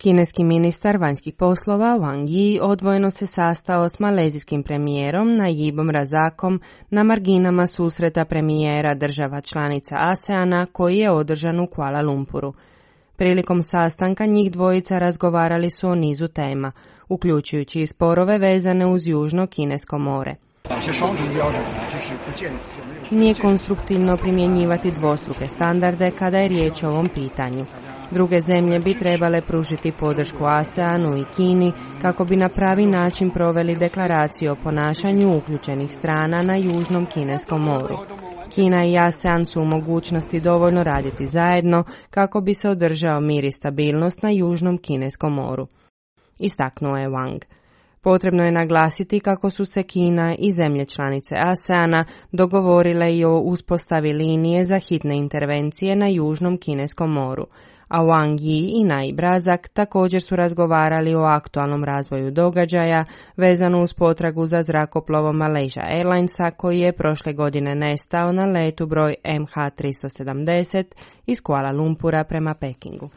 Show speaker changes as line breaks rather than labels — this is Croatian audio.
Kineski ministar vanjskih poslova Wang Yi odvojeno se sastao s malezijskim premijerom Najibom Razakom na marginama susreta premijera država članica ASEANA koji je održan u Kuala Lumpuru. Prilikom sastanka njih dvojica razgovarali su o nizu tema, uključujući i sporove vezane uz Južno Kinesko more. Nije konstruktivno primjenjivati dvostruke standarde kada je riječ o ovom pitanju. Druge zemlje bi trebale pružiti podršku ASEANu i Kini kako bi na pravi način proveli deklaraciju o ponašanju uključenih strana na Južnom Kineskom moru. Kina i ASEAN su u mogućnosti dovoljno raditi zajedno kako bi se održao mir i stabilnost na Južnom Kineskom moru, istaknuo je Wang. Potrebno je naglasiti kako su se Kina i zemlje članice ASEANA dogovorile i o uspostavi linije za hitne intervencije na Južnom Kineskom moru, a Wang Yi i Najib Razak također su razgovarali o aktualnom razvoju događaja vezano uz potragu za zrakoplovom Malaysia Airlinesa koji je prošle godine nestao na letu broj MH370 iz Kuala Lumpura prema Pekingu.